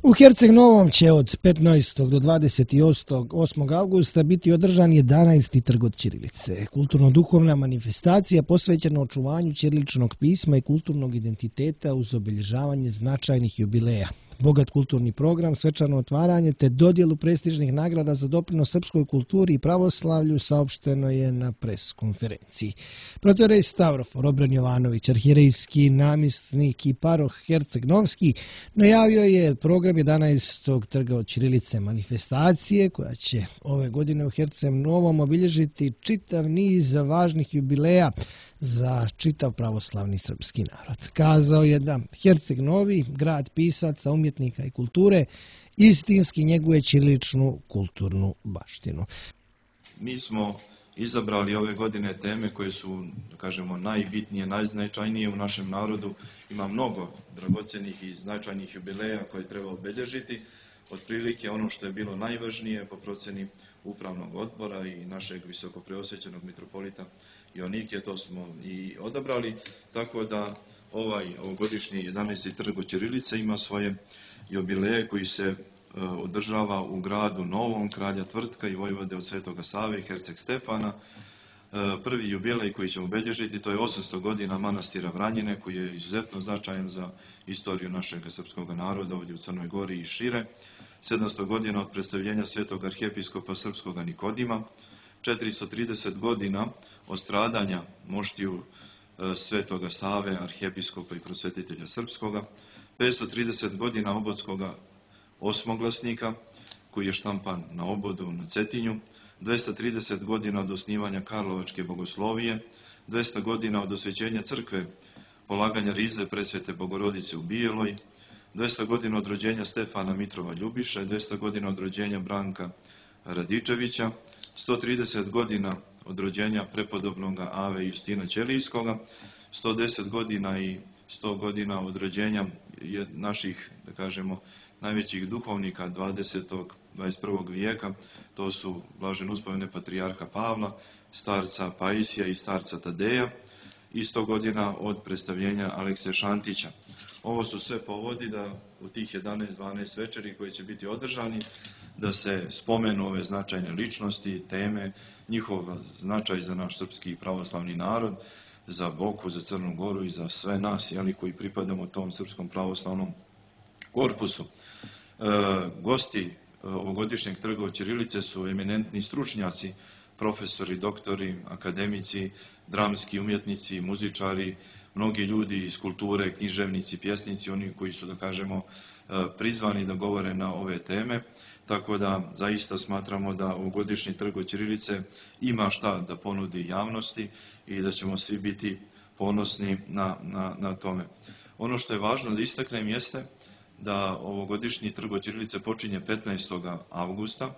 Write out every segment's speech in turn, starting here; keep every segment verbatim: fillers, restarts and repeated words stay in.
U Herceg Novom će od petnaestog do dvadeset osmog avgusta biti održan jedanaesti trg od ćirilice, kulturno-duhovna manifestacija posvećena očuvanju ćiriličnog pisma i kulturnog identiteta uz obilježavanje značajnih jubileja. Bogat kulturni program, svečano otvaranje te dodjelu prestižnih nagrada za doprinos srpskoj kulturi i pravoslavlju saopšteno je na pres konferenciji. Protorej Stavrofor Obren Jovanović, arhijerejski namjesnik i paroh Herceg Novski, najavio je program jedanaestog trga od ćirilice manifestacije koja će ove godine u Herceg Novom obilježiti čitav niz važnih jubileja za čitav pravoslavni srpski narod. Kazao je da Herceg Novi, grad pisaca, umjetnika i kulture, istinski njeguje ćiriličnu kulturnu baštinu. Mi smo izabrali ove godine teme koje su, da kažemo, najbitnije, najznačajnije u našem narodu. Ima mnogo dragocjenih i značajnih jubileja koje treba obilježiti. Otprilike ono što je bilo najvažnije po procjeni upravnog odbora i našeg visokopreosvećenog mitropolita Joanikija, to smo i odabrali, tako da ovaj ovogodišnji jedanaesti trg od ćirilice ima svoje jubileje koji se održava u gradu Novom, Kralja Tvrtka i Vojvode od Svetoga Save i Herceg Stefana. Prvi jubilej koji ćemo obilježiti, to je osamsto godina manastira Vranjine, koji je izuzetno značajan za istoriju našeg srpskog naroda ovdje u Crnoj Gori i šire. sedamsto godina od predstavljenja svetog arhijepiskopa srpskog Nikodima, četiristo trideset godina od stradanja moštiju Svetoga Save, arhijepiskopa i prosvetitelja srpskoga, petsto trideset godina obodskoga osmoglasnika koji je štampan na obodu na Cetinju, dvesta trideset godina od osnivanja Karlovačke bogoslovije, dvesta godina od osvećenja crkve, polaganja rize presvete Bogorodice u Bijeloj, dvesta godina od rođenja Stefana Mitrova Ljubiša, dvesta godina od rođenja Branka Radičevića, sto trideset godina od rođenja prepodobnog Ave Justina Ćelijskoga, sto deset godina i sto godina od rođenja naših, da kažemo, najvećih duhovnika dvadesetog i dvadeset prvog vijeka, to su blažen uspomene patrijarha Pavla, starca Paisija i starca Tadeja, i sto godina od predstavljenja Alekse Šantića. Ovo su sve povodi da u tih jedanaest dvanaest večeri koje će biti održani, da se spomenu ove značajne ličnosti, teme, njihov značaj za naš srpski pravoslavni narod, za Boku, za Crnu Goru i za sve nas, jeli, koji pripadamo tom srpskom pravoslavnom korpusu. E, gosti ovogodišnjeg trga od ćirilice su eminentni stručnjaci, profesori, doktori, akademici, dramski umjetnici, muzičari, mnogi ljudi iz kulture, književnici, pjesnici, oni koji su, da kažemo, prizvani da govore na ove teme. Tako da zaista smatramo da ovogodišnji trg od ćirilice ima šta da ponudi javnosti i da ćemo svi biti ponosni na, na, na tome. Ono što je važno da istaknem jeste da ovogodišnji trg od ćirilice počinje petnaestog avgusta,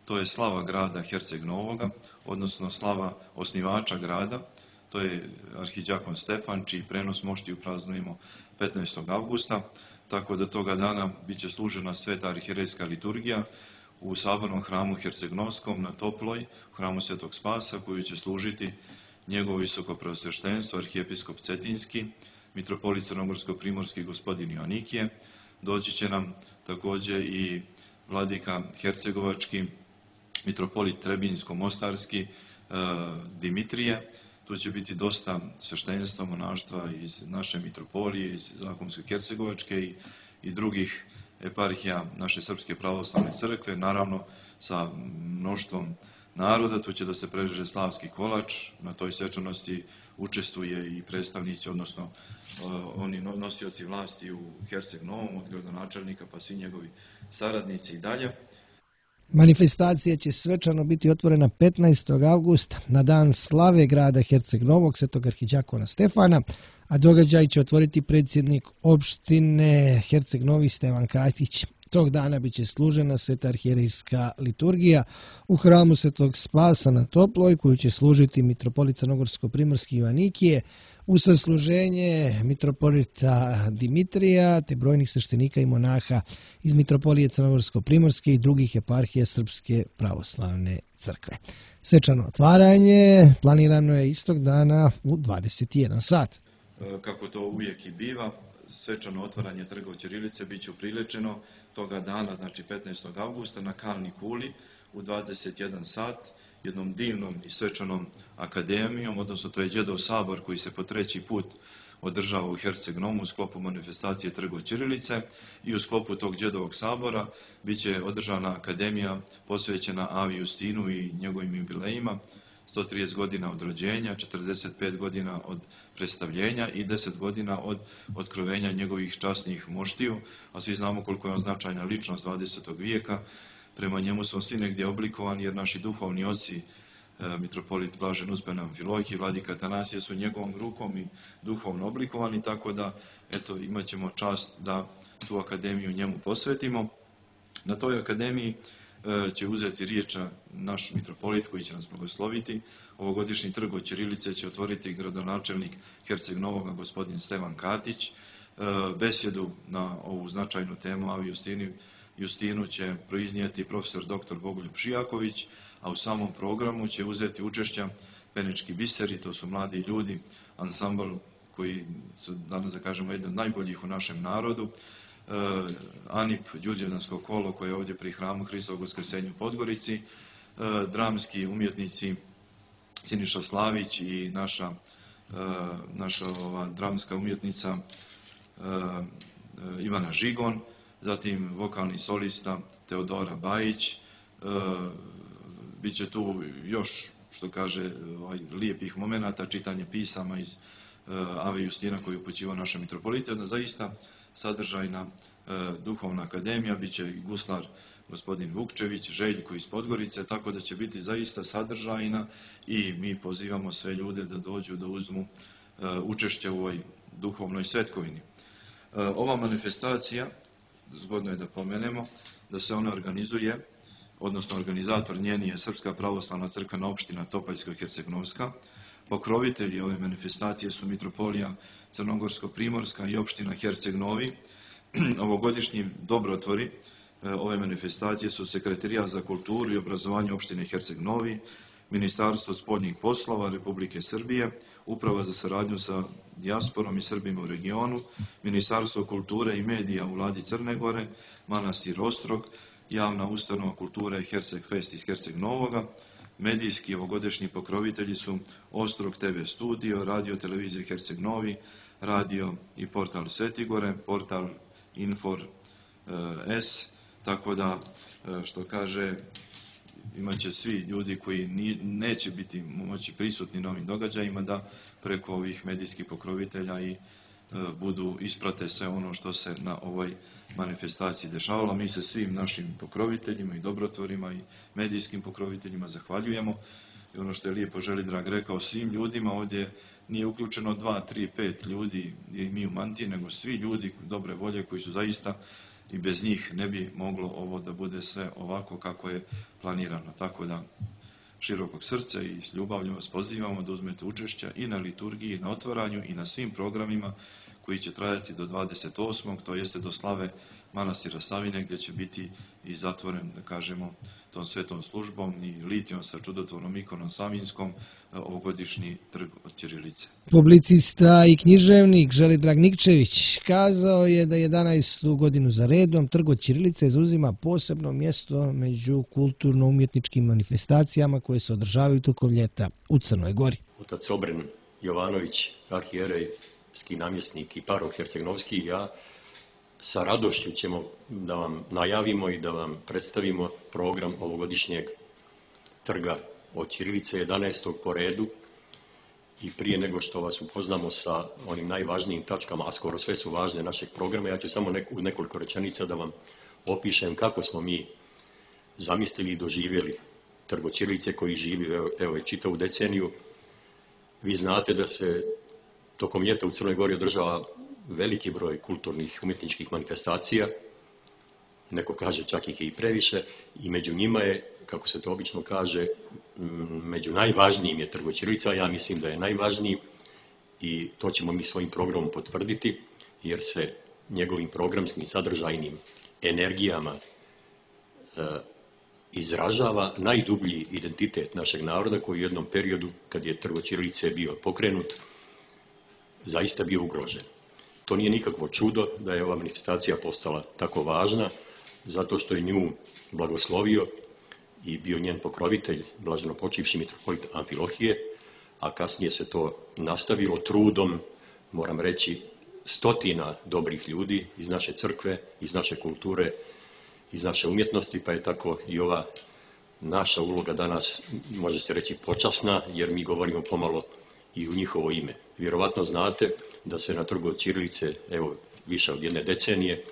to je slava grada Herceg Novoga, odnosno slava osnivača grada, to je arhidjakon Stefan, čiji prenos moštiju praznujemo petnaestog avgusta, tako da toga dana bit će služena sveta arhijerejska liturgija u sabornom hramu Herceg-Novskom na Toploj, u hramu Svetog Spasa, koju će služiti njegovo visoko preosveštenstvo, arhijepiskop Cetinski, mitropolit Crnogorsko-Primorski gospodin Joanikije. Doći će nam također i vladika Hercegovački, mitropolit Trebinjsko-Mostarski, Dimitrije. Tu će biti dosta sveštenstva, monaštva iz naše mitropolije, iz Zakonsko-Hercegovačke i, i drugih eparhija naše Srpske pravoslavne crkve, naravno sa mnoštvom naroda. Tu će da se prereže slavski kolač, na toj svečanosti učestvuje i predstavnici, odnosno oni nosioci vlasti u Herceg Novom, od gradonačelnika pa svi njegovi saradnici i dalje. Manifestacija će svečano biti otvorena petnaestog avgusta na dan slave grada Herceg Novog, svetog arhidjakona Stefana, a događaj će otvoriti predsjednik opštine Herceg Novi Stevan Katić. Tog dana biće služena sveta arhijerejska liturgija u hramu Svetog Spasa na Toploj, koju će služiti mitropolit Crnogorsko-Primorski Joanikije, u sasluženje mitropolita Dimitrija te brojnih sveštenika i monaha iz mitropolije Crnogorsko-Primorske i drugih eparhija Srpske pravoslavne crkve. Svečano otvaranje planirano je istog dana u dvadeset jedan sat. Kako to uvijek i biva, svečano otvaranje trga ćirilice bit će upriličeno toga dana, znači petnaestog avgusta na Kalni kuli u dvadeset jedan sat, jednom divnom i svečanom akademijom, odnosno to je Đedov sabor koji se po treći put održava u Herceg-Novu u sklopu manifestacije Trgo ćirilice i u sklopu tog Đedovog sabora bit će održana akademija posvećena Avi Justinu i njegovim jubilejima, sto trideset godina od rođenja, četrdeset pet godina od predstavljenja i deset godina od otkrovenja njegovih časnih moštiju, a svi znamo koliko je on značajna ličnost dvadesetog vijeka. Prema njemu smo svi negdje oblikovani jer naši duhovni oci, mitropolit Blažen Uspen Amfilohije, vladika Atanasije su njegovom rukom i duhovno oblikovani, tako da eto, imat ćemo čast da tu akademiju njemu posvetimo. Na toj akademiji će uzeti riječ naš mitropolit koji će nas blagosloviti. Ovogodišnji trg od ćirilice će otvoriti gradonačelnik Herceg-Novoga gospodin Stevan Katić. Besjedu na ovu značajnu temu Avi Justini, Justinu će proiznijeti profesor doktor Bogoljub Šijaković, a u samom programu će uzeti učešća Penički biseri, to su mladi ljudi, ansambl koji su danas, da kažemo, jedan od najboljih u našem narodu, Anip, Đurđevdansko kolo koje je ovdje pri hramu Hristovog Vaskrsenja u Podgorici, dramski umjetnici Siniša Slavić i naša, naša ova, dramska umjetnica Ivana Žigon, zatim vokalni solista Teodora Bajić, bit će tu još, što kaže, ovaj, lijepih momenata, čitanje pisama iz Ave Justina koji je upućivao naša mitropolita, jedna zaista sadržajna duhovna akademija, bit će i guslar gospodin Vukčević, Željko iz Podgorice, tako da će biti zaista sadržajna i mi pozivamo sve ljude da dođu da uzmu učešće u ovoj duhovnoj svetkovini. Ova manifestacija, zgodno je da pomenemo, da se ona organizuje, odnosno organizator njeni je Srpska pravoslavna crkvena opština Topaljsko-Herceg-Novska. Pokrovitelji ove manifestacije su mitropolija Crnogorsko-Primorska i opština Herceg-Novi. Ovogodišnji dobrotvori ove manifestacije su Sekretarijat za kulturu i obrazovanje opštine Herceg-Novi, Ministarstvo spoljnih poslova Republike Srbije, Uprava za saradnju sa dijasporom i Srbima u regionu, Ministarstvo kulture i medija u vladi Crne Gore, Manastir Ostrog, Javna ustanova kulture Herceg Fest iz Herceg-Novoga. Medijski ovogodišnji pokrovitelji su Ostrog te ve studio, Radio televizija Herceg-Novi, radio i portal Svetigore, portal Infor S, tako da, što kaže, imaće svi ljudi koji neće biti moći prisutni na ovim događajima da preko ovih medijskih pokrovitelja i budu isprate sve ono što se na ovoj manifestaciji dešavalo. Mi se svim našim pokroviteljima i dobrotvorima i medijskim pokroviteljima zahvaljujemo. I ono što je lijepo Želidrag rekao, svim ljudima ovdje nije uključeno dva, tri, pet ljudi i mi u mantiji, nego svi ljudi dobre volje koji su zaista i bez njih ne bi moglo ovo da bude sve ovako kako je planirano. Tako da širokog srca i s ljubavljom vas pozivamo da uzmete učešća i na liturgiji, i na otvaranju i na svim programima koji će trajati do dvadeset osmog to jeste do slave manastira Savine, gdje će biti i zatvoren, da kažemo, tom svetom službom i litijom sa čudotvornom ikonom Savinskom ovogodišnji trg od ćirilice. Publicista i književnik Želidrag Nikčević kazao je da jedanaestu godinu za redom trg od ćirilice zauzima posebno mjesto među kulturno-umjetničkim manifestacijama koje se održavaju tokom ljeta u Crnoj Gori. Otac Obren Jovanović, arhijerejski namjesnik i parok Herceg-Novski i ja sa radošću ćemo da vam najavimo i da vam predstavimo program ovogodišnjeg trga od ćirilice, jedanaestog po redu. I prije nego što vas upoznamo sa onim najvažnijim tačkama, a skoro sve su važne našeg programa, ja ću samo u nekoliko rečenica da vam opišem kako smo mi zamislili i doživjeli trg od ćirilice koji živi evo već čitavu deceniju. Vi znate da se tokom ljeta u Crnoj Gori održava veliki broj kulturnih umjetničkih manifestacija, neko kaže čak ih je i previše, i među njima je, kako se to obično kaže, među najvažnijim je trg od ćirilice, ja mislim da je najvažniji i to ćemo mi svojim programom potvrditi, jer se njegovim programskim sadržajnim energijama e, izražava najdublji identitet našeg naroda koji u jednom periodu, kad je trg od ćirilice bio pokrenut, zaista bio ugrožen. To nije nikakvo čudo da je ova manifestacija postala tako važna, zato što je nju blagoslovio i bio njen pokrovitelj, blaženo počivši mitropolit Amfilohije, a kasnije se to nastavilo trudom, moram reći, stotina dobrih ljudi iz naše crkve, iz naše kulture, iz naše umjetnosti, pa je tako i ova naša uloga danas, može se reći, počasna, jer mi govorimo pomalo i u njihovo ime. Vjerovatno znate da se na Trgu od ćirilice, evo, više od jedne decenije,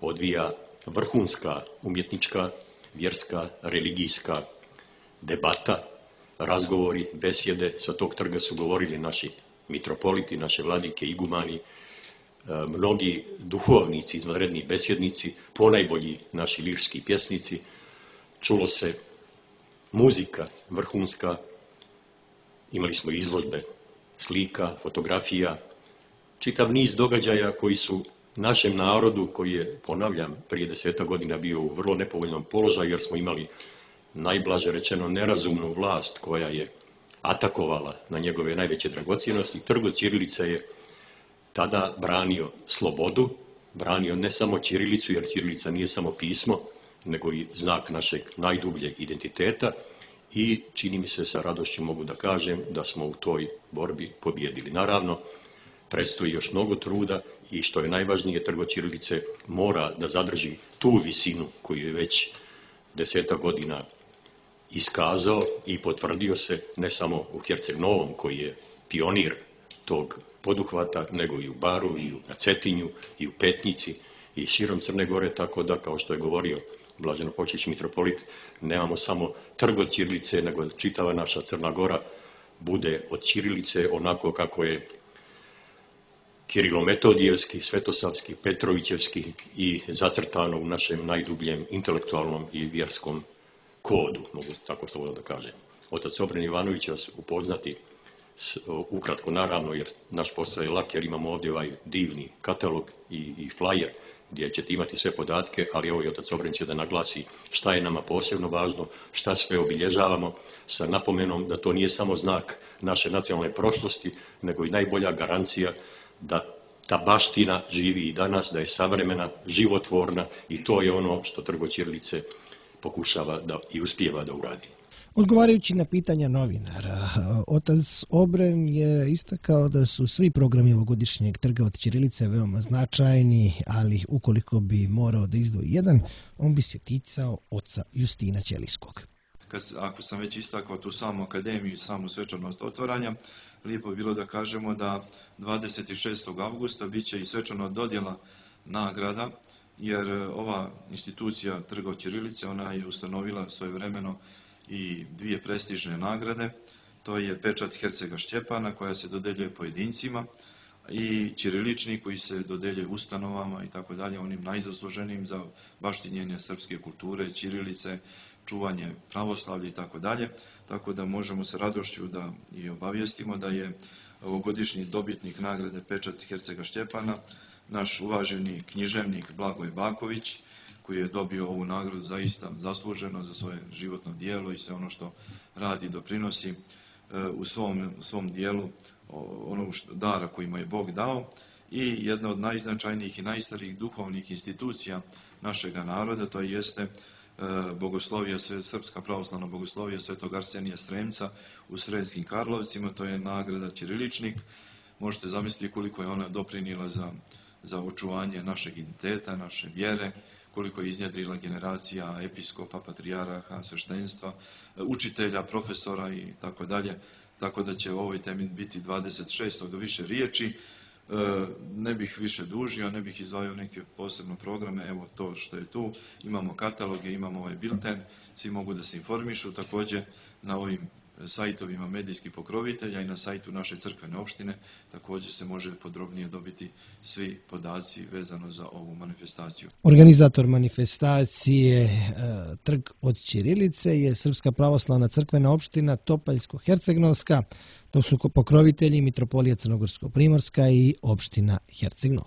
odvija vrhunska umjetnička, vjerska, religijska debata, razgovori, besjede. Sa tog trga su govorili naši mitropoliti, naše vladike, igumani, mnogi duhovnici, izvanredni besjednici, ponajbolji naši lirski pjesnici. Čulo se muzika vrhunska, imali smo izložbe slika, fotografija, čitav niz događaja koji su našem narodu, koji je, ponavljam, prije deseta godina bio u vrlo nepovoljnom položaju, jer smo imali, najblaže rečeno, nerazumnu vlast koja je atakovala na njegove najveće dragocjenosti. Trg od ćirilice je tada branio slobodu, branio ne samo ćirilicu, jer ćirilica nije samo pismo, nego i znak našeg najdubljeg identiteta, i čini mi se, sa radošću mogu da kažem da smo u toj borbi pobjedili. Naravno, predstoji još mnogo truda i, što je najvažnije, Trg od ćirilice mora da zadrži tu visinu koju je već deseta godina iskazao i potvrdio se ne samo u Herceg Novom, koji je pionir tog poduhvata, nego i u Baru, i na Cetinju, i u Petnici, i širom Crne Gore, tako da, kao što je govorio blaženo počivši mitropolit, nemamo samo Trg od ćirilice, nego čitava naša Crna Gora bude od ćirilice onako kako je Kirilo-Metodijevski, Svetosavski, Petrovićevski i zacrtano u našem najdubljem intelektualnom i vjerskom kodu, mogu tako slobodno da kažem. Otac Obren Ivanović će vas upoznati s, ukratko, naravno, jer naš posao je lak, jer imamo ovdje ovaj divni katalog i, i flyer gdje ćete imati sve podatke, ali evo i otac Obren će da naglasi šta je nama posebno važno, šta sve obilježavamo, sa napomenom da to nije samo znak naše nacionalne prošlosti, nego i najbolja garancija da ta baština živi i danas, da je savremena, životvorna, i to je ono što Trg od ćirilice pokušava da i uspijeva da uradi. Odgovarajući na pitanja novinara, otac Obren je istakao da su svi programi ovogodišnjeg Trga od ćirilice veoma značajni, ali ukoliko bi morao da izdvoji jedan, on bi se ticao oca Justina Ćelijskog. Kad, ako sam već istakao tu samu akademiju i samu svečanost otvaranja, lijepo je bilo da kažemo da dvadeset šestog avgusta bit će i svečano dodjela nagrada, jer ova institucija Trga od ćirilice, ona je ustanovila svojevremeno i dvije prestižne nagrade. To je pečat Hercega Štjepana, koja se dodeljuje pojedincima, i ćirilični, koji se dodeljuje ustanovama i tako dalje, onim najzasluženijim za baštinjenje srpske kulture, ćirilice, čuvanje pravoslavlja i tako dalje. Tako da možemo sa radošću da i obavijestimo da je ovogodišnji dobitnik nagrade pečat Hercega Štjepana naš uvaženi književnik Blagoj Baković, koji je dobio ovu nagradu zaista zasluženo za svoje životno dijelo i sve ono što radi i doprinosi u svom, u svom dijelu onog dara koji mu je Bog dao, i jedna od najznačajnijih i najstarijih duhovnih institucija našega naroda, to jeste bogoslovija, Srpska pravoslavna bogoslovija Svetog Arsenija Stremca u Sremskim Karlovcima. To je nagrada ćiriličnik. Možete zamisliti koliko je ona doprinijela za, za očuvanje našeg identiteta, naše vjere, koliko je iznjedrila generacija episkopa, patrijaraha, sveštenstva, učitelja, profesora i tako dalje. Tako da će o ovoj temi biti dvadeset šestog više riječi. Ne bih više dužio, ne bih izdvajao neke posebne programe, evo to što je tu. Imamo kataloge, imamo ovaj bilten, svi mogu da se informišu. Također na ovim sajtovima medijskih pokrovitelja i na sajtu naše crkvene opštine također se može podrobnije dobiti svi podaci vezano za ovu manifestaciju. Organizator manifestacije Trg od ćirilice je Srpska pravoslavna crkvena opština Topaljsko-Hercegnovska, dok su pokrovitelji Mitropolija Crnogorsko-Primorska i opština Herceg Novi.